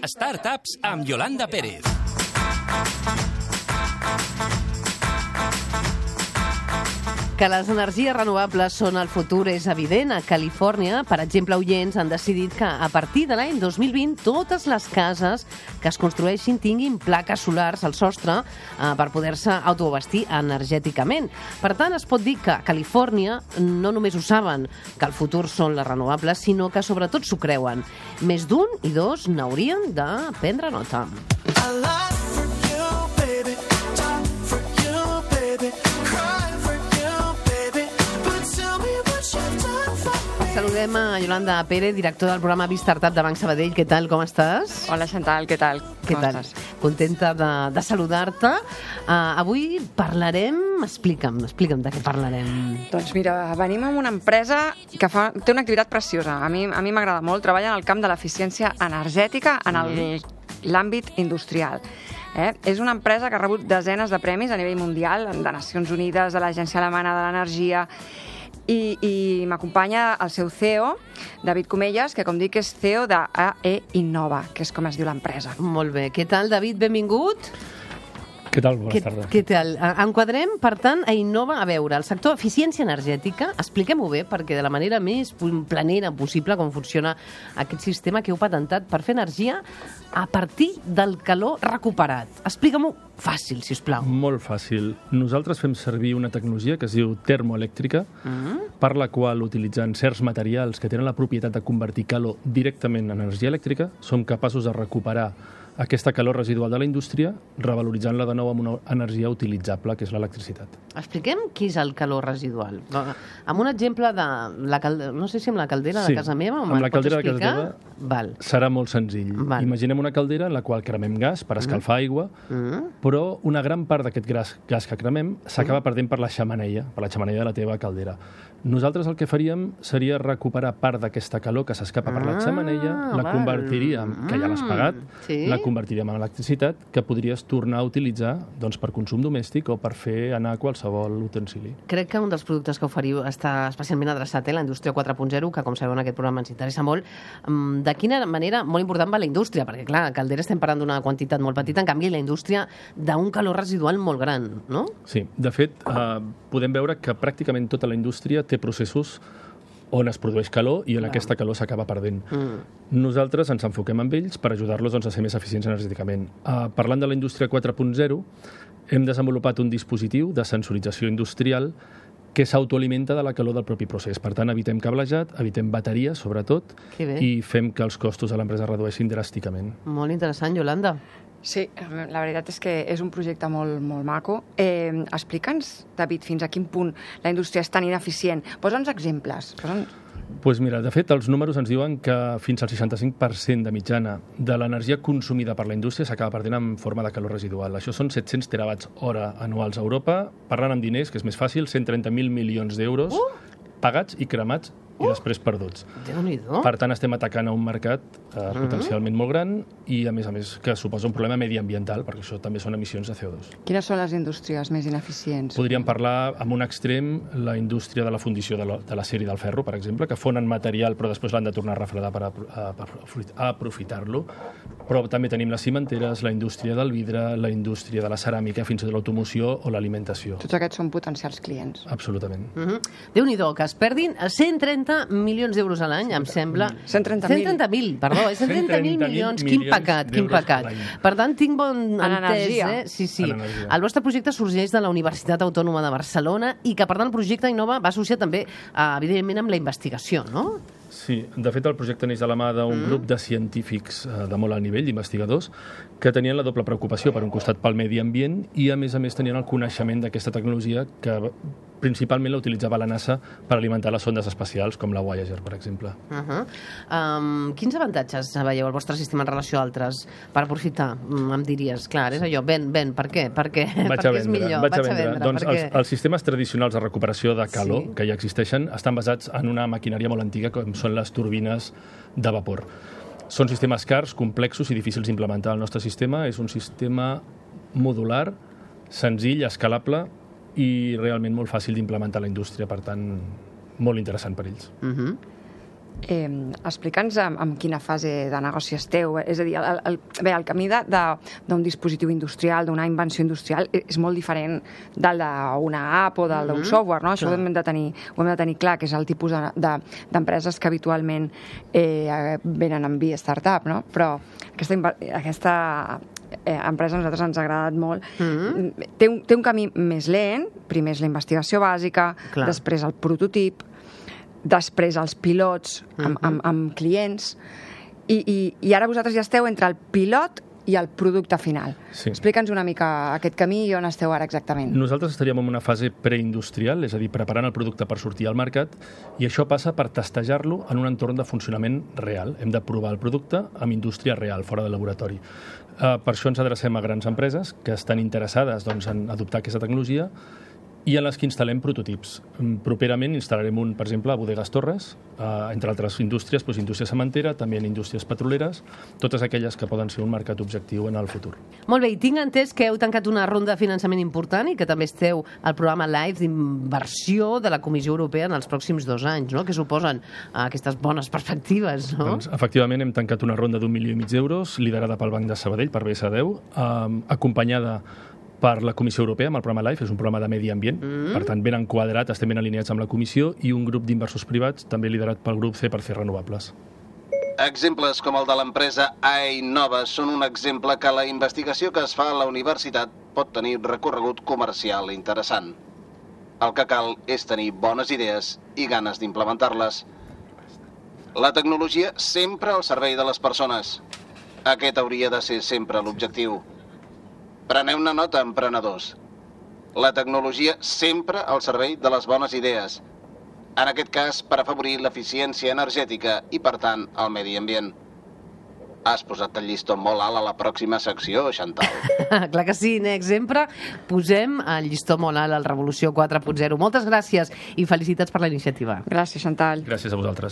Startups amb Yolanda Pérez. Que les energies renovables són el futur és evident. A Califòrnia, per exemple, oients han decidit que a partir de l'any 2020 totes les cases que es construeixin tinguin plaques solars al sostre per poder-se autoabastir energèticament. Per tant, es pot dir que a Califòrnia no només ho saben que el futur són les renovables, sinó que sobretot s'ho creuen. Més d'un i dos n'haurien de prendre nota. Saludem a Yolanda Pérez, directora del programa Startup de Banc Sabadell. Què tal, com estàs? Hola, Chantal, què tal? Què tal? Contenta de saludar-te. Avui parlarem... Explica'm de què parlarem. Doncs mira, venim amb una empresa que té una activitat preciosa. A mi m'agrada molt. Treballa en el camp de l'eficiència energètica en l'àmbit industrial. És una empresa que ha rebut desenes de premis a nivell mundial, de Nacions Unides, de l'Agència Alemana de l'Energia, i m'acompanya el seu CEO, David Comelles, que com dic és CEO d'AE Innova, que és com es diu l'empresa. Molt bé. Què tal, David? Benvingut. Què tal? Bones tardes. Què tal? Enquadrem, per tant, a Innova, a veure, el sector eficiència energètica, expliquem-ho bé, perquè de la manera més planera possible com funciona aquest sistema que heu patentat per fer energia a partir del calor recuperat. Explica-m'ho fàcil, si us plau. Molt fàcil. Nosaltres fem servir una tecnologia que es diu termoelèctrica, per la qual, utilitzant certs materials que tenen la propietat de convertir calor directament en energia elèctrica, som capaços de recuperar aquesta calor residual de la indústria, revaloritzant-la de nou amb una energia utilitzable, que és l'electricitat. Expliquem què és el calor residual. Amb un exemple de la caldera, no sé si amb la caldera de casa meva, amb la caldera de casa teva serà molt senzill. Imaginem una caldera en la qual cremem gas per escalfar aigua, però una gran part d'aquest gas que cremem s'acaba perdent per la xemeneia de la teva caldera. Nosaltres el que faríem seria recuperar part d'aquesta calor que s'escapa per la xemeneia, la convertiríem, que ja l'has pagat, la convertiríem en electricitat que podries tornar a utilitzar per consum domèstic o per fer anar qualsevol utensili. Crec que un dels productes que oferiu està especialment adreçat a la indústria 4.0, que com sabeu en aquest programa ens interessa molt. De quina manera, molt important va la indústria, perquè clar, a caldera estem parlant d'una quantitat molt petita, en canvi la indústria d'un calor residual molt gran, no? Sí, de fet, podem veure que pràcticament tota la indústria té processos on es produeix calor i on aquesta calor s'acaba perdent. Nosaltres ens enfoquem amb ells per ajudar-los a ser més eficients energèticament. Parlant de la indústria 4.0, hem desenvolupat un dispositiu de sensorització industrial que s'autoalimenta de la calor del propi procés. Per tant, evitem cablejat, evitem bateries, sobretot, i fem que els costos de l'empresa redueixin dràsticament. Molt interessant, Yolanda. Sí, la veritat és que és un projecte molt maco. Explica'ns, David, fins a quin punt la indústria és tan ineficient. Posa'ns exemples. Doncs mira, de fet, els números ens diuen que fins al 65% de mitjana de l'energia consumida per la indústria s'acaba perdent en forma de calor residual. Això són 700 terawatts hora anuals a Europa. Parlant amb diners, que és més fàcil, 130.000 milions d'euros pagats i cremats i després perduts. Déu-n'hi-do. Per tant, estem atacant a un mercat potencialment molt gran i, a més, que suposa un problema mediambiental, perquè això també són emissions de CO2. Quines són les indústries més ineficients? Podríem parlar, amb un extrem, la indústria de la fundició de l'acer i del ferro, per exemple, que fonen material però després l'han de tornar a refredar per aprofitar-lo. Però també tenim les cimenteres, la indústria del vidre, la indústria de la ceràmica, fins i tot l'automoció o l'alimentació. Tots aquests són potencials clients. Absolutament. Déu-n'hi-do, que es perdin 130 milions d'euros a l'any, em sembla. 130.000, perdó, 130.000 milions. Quin pecat. Per tant, tinc bon entès. Sí. El vostre projecte sorgeix de la Universitat Autònoma de Barcelona i que, per tant, el projecte Innova va associar també, evidentment, amb la investigació, no? Sí, de fet el projecte neix de la mà d'un grup de científics de molt alt nivell, d'investigadors, que tenien la doble preocupació, per un costat pel medi ambient i a més tenien el coneixement d'aquesta tecnologia que principalment la utilitzava la NASA per alimentar les sondes espacials, com la Voyager, per exemple. Quins avantatges veieu al vostre sistema en relació a altres per aprofitar? Em diries, clar, és allò, ven, per què? Perquè és millor. Vaig a vendre. Doncs els sistemes tradicionals de recuperació de calor que ja existeixen estan basats en una maquinària molt antiga, com són les turbines de vapor. Són sistemes cars, complexos i difícils d'implementar. El nostre sistema és un sistema modular, senzill, escalable i realment molt fàcil d'implementar a la indústria, per tant, molt interessant per ells. Explica'ns en quina fase de negoci esteu. És a dir, el camí d'un dispositiu industrial, d'una invenció industrial, és molt diferent del d'una app o del d'un software, no? Això ho hem de tenir clar, que és el tipus d'empreses que habitualment venen en via startup, no? Però aquesta empresa a nosaltres ens ha agradat molt. Té un camí més lent, primer és la investigació bàsica, després el prototip, després els pilots amb clients, i ara vosaltres ja esteu entre el pilot i el producte final. Explica'ns una mica aquest camí i on esteu ara exactament. Nosaltres estaríem en una fase preindustrial, és a dir, preparant el producte per sortir al mercat, i això passa per testejar-lo en un entorn de funcionament real. Hem de provar el producte amb indústria real, fora del laboratori. Per això ens adrecem a grans empreses que estan interessades en adoptar aquesta tecnologia i en les que instal·lem prototips. Properament instal·larem un, per exemple, a Bodegas Torres, entre altres indústries, indústria cementera, també en indústries petroleres, totes aquelles que poden ser un mercat objectiu en el futur. Molt bé, i tinc entès que heu tancat una ronda de finançament important i que també esteu al programa LIFE d'inversió de la Comissió Europea en els pròxims 2 anys, no? Que suposen aquestes bones perspectives, no? Doncs, efectivament, hem tancat una ronda d'1,5 milió d'euros, liderada pel Banc de Sabadell, per BS10, acompanyada per la Comissió Europea amb el programa LIFE, és un programa de medi ambient, per tant ben enquadrat, estem ben alineats amb la Comissió, i un grup d'inversors privats també liderat pel grup C/C Renovables. Exemples com el de l'empresa Ainova són un exemple que la investigació que es fa a la universitat pot tenir recorregut comercial interessant. El que cal és tenir bones idees i ganes d'implementar-les. La tecnologia sempre al servei de les persones. Aquest hauria de ser sempre l'objectiu. Preneu-ne nota, emprenedors. La tecnologia sempre al servei de les bones idees. En aquest cas, per afavorir l'eficiència energètica i, per tant, el medi ambient. Has posat el llistó molt alt a la pròxima secció, Chantal. Clar que sí, Nex. Sempre posem el llistó molt alt al Revolució 4.0. Moltes gràcies i felicitats per la iniciativa. Gràcies, Chantal. Gràcies a vosaltres.